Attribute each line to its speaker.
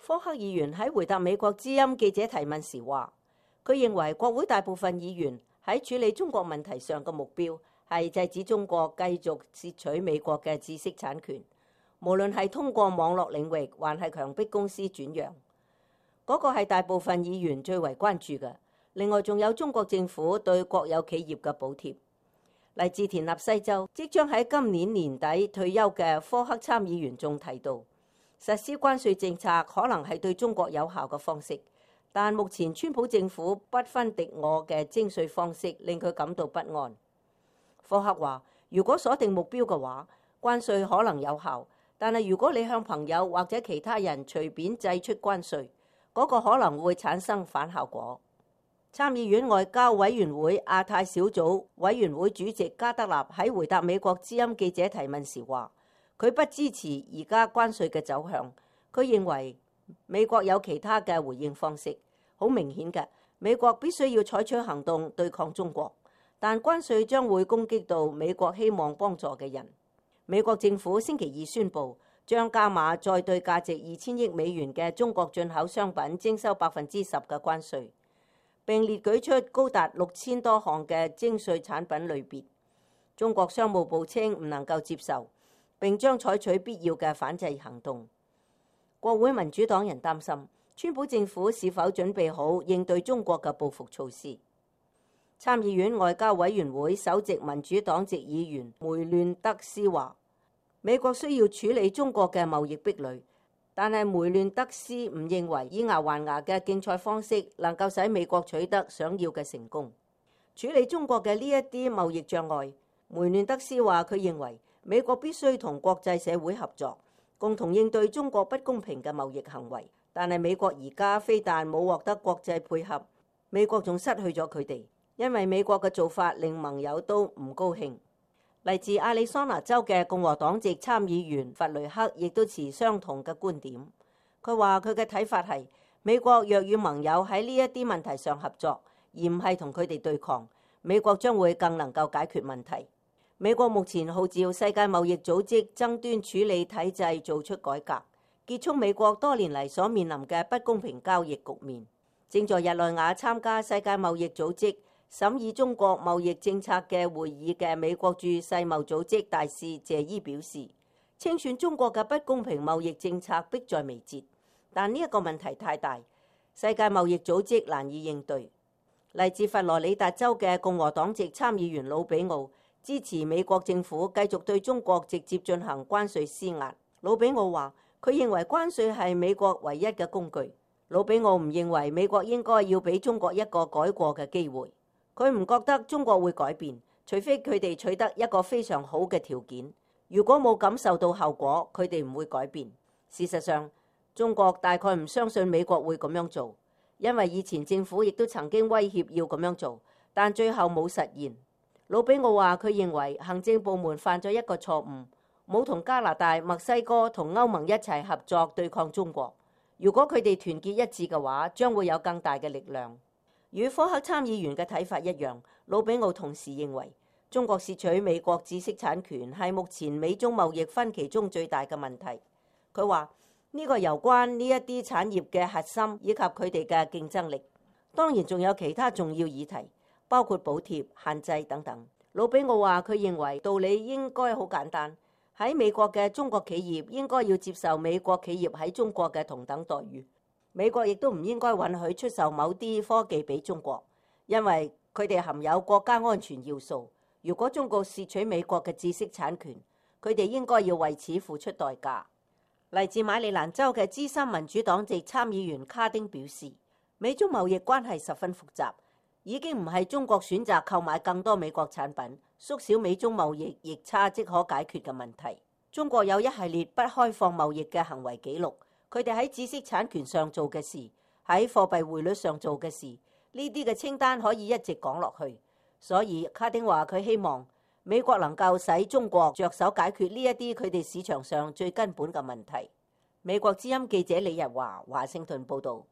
Speaker 1: 科克議員喺回答美國之音記者提問時話，佢認為國會大部分議員喺處理中國問題上嘅目標係制止中國繼續竊取美國嘅知識產權，無論係通過網絡領域，還係強迫公司轉讓。嗰個係大部分議員最為關注嘅。另外仲有中國政府對國有企業嘅補貼。嚟自田納西州即將喺今年年底退休嘅科克參議員仲提到，實施關稅政策可能係對中國有效嘅方式，但目前川普政府不分敵我嘅徵稅方式令佢感到不安。科克話，如果鎖定目標嘅話，關稅可能有效，但係如果你向朋友或者其他人隨便祭出關稅，嗰個可能會產生反效果。參議院外交委員會亞太小組委員會主席加德納喺回答美國之音記者提問時話，佢不支持而家關稅嘅走向。佢認為美國有其他嘅回應方式。好明顯嘅，美國必須要採取行動對抗中國，但關稅將會攻擊到美國希望幫助嘅人。美國政府星期二宣布將加碼再對價值2000億美元嘅中國進口商品徵收10%嘅關稅，並列舉出高達6000多項嘅徵稅產品類別。中國商務部稱唔能夠接受，並將採取必要嘅反制行動。國會民主黨人擔心川普政府是否準備好應對中國嘅報復措施。參議院外交委員會首席民主黨籍議員梅亂德斯話，美國需要處理中國嘅貿易壁壘，但係梅亂德斯唔認為以牙還牙嘅競賽方式能夠使美國取得想要嘅成功。處理中國嘅呢一啲貿易障礙，梅亂德斯話佢認為美國必須同國際社會合作，共同應對中國不公平嘅貿易行為。但係美國而家非但冇獲得國際配合，美國仲失去咗佢哋，因為美國嘅做法令盟友都唔高興。嚟自亞利桑那州嘅共和黨籍參議員弗雷克亦都持相同嘅觀點。佢話佢嘅睇法係，美國若與盟友喺呢一啲問題上合作，而唔係同佢哋對抗，美國將會更能夠解決問題。美國目前號召世界貿易組織爭端處理體制做出改革，結束美國多年嚟所面臨嘅不公平交易局面。正在日內瓦參加世界貿易組織審議中國貿易政策嘅會議嘅美國駐世貿組織大使謝伊表示，清算中國嘅不公平貿易政策迫在眉睫，但呢一個問題太大，世界貿易組織難以應對。嚟自佛羅里達州嘅共和黨籍參議員魯比奧支持美國政府繼續對中國直接進行關稅施壓。魯比奧話，佢認為關稅係美國唯一嘅工具。魯比奧唔認為美國應該要俾中國一個改過嘅機會。佢唔覺得中國會改變，除非佢哋取得一個非常好嘅條件。如果冇感受到後果，佢哋唔會改變。事實上，中國大概唔相信美國會咁樣做，因為以前政府亦都曾經威脅要咁樣做，但最後冇實現。魯比奧話，佢認為行政部門犯咗一個錯誤，冇同加拿大、墨西哥同歐盟一齊合作對抗中國。如果佢哋團結一致嘅話，將會有更大嘅力量。與科克參議員嘅睇法一樣，魯比奧同時認為中國竊取美國知識產權係目前美中貿易分歧中最大嘅問題。佢話呢個攸關呢一啲產業嘅核心以及佢哋嘅競爭力。當然仲有其他重要議題，包括補貼、限制等等。魯比奧話佢認為道理應該好簡單，喺美國嘅中國企業應該要接受美國企業喺中國嘅同等待遇。美國亦都唔應該允許出售某啲科技俾中國，因為佢哋含有國家安全要素。如果中國竊取美國嘅知識產權，佢哋應該要為此付出代價。嚟自馬里蘭州嘅資深民主黨籍參議員卡丁表示，美中貿易關係十分複雜，已經唔係中國選擇購買更多美國產品，縮小美中貿易逆差即可解決嘅問題。中國有一系列不開放貿易嘅行為記錄。佢哋喺知識產權上做嘅事，喺貨幣匯率上做嘅事，呢啲嘅清單可以一直講落去。所以卡丁話佢希望美國能夠使中國着手解決呢一啲佢哋市場上最根本嘅問題。美國之音記者李日華華盛頓報導。